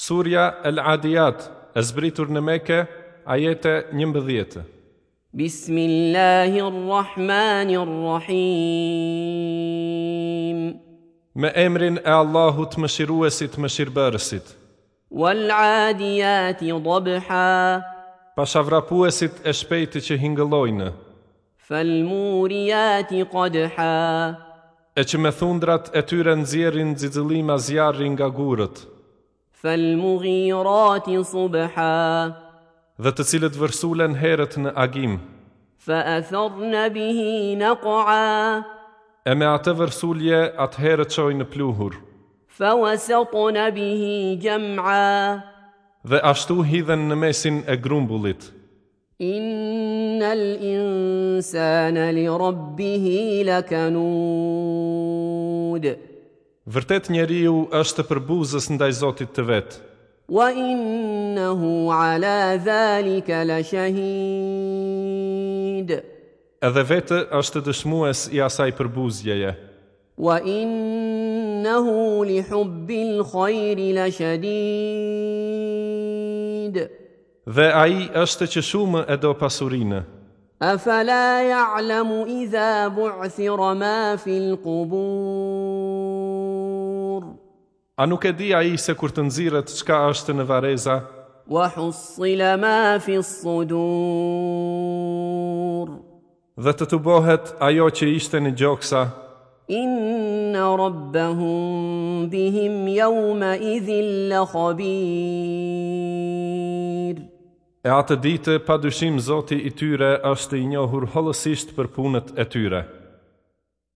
Surja El Adiyat, e zbritur në Mekë, ajete 11. Bismillahir Rahmanir Rahim. Me emrin e Allahut Mëshiruesit Mëshirbërësit. Wal adiyati dabha. Pasha vrapuesit e shpejtë që hingëllojnë. Fal muriyati qadha. E që me thundrat e tyre nxjerrin xixëllima zjarri nga gurët. Fal mughirati subha. Dhe të cilët vërsulen herët në agim. Fa atharna bihi naq'a. E me atë vërsulje atëherë çojnë pluhur. Fa wasatna bihi jam'a. Dhe ashtu hidhen në mesin e grumbullit. Innal insana li rabbihi lakanud. Vërtet njeriu është përbuzës ndaj Zotit të vet. Wa innahu ala dhalika lashahid. Edhe vetë është dëshmues i asaj përbuzjeje. Wa innahu li hubbil khayri lashadid. Dhe ai është që shumë e do pasurinë. Afala ya'lamu idha bu'thira ma fil qubur. A nuk e di ai se kur të nxirret çka është në varreza? Wa hussila ma fi sudur. Dhe të tubohet ajo që ishte në gjoksa. Inna rabbahum bihim yawma idhin la khabir. E atë ditë, pa dyshim Zoti i tyre është i njohur hollësisht për punët e tyre.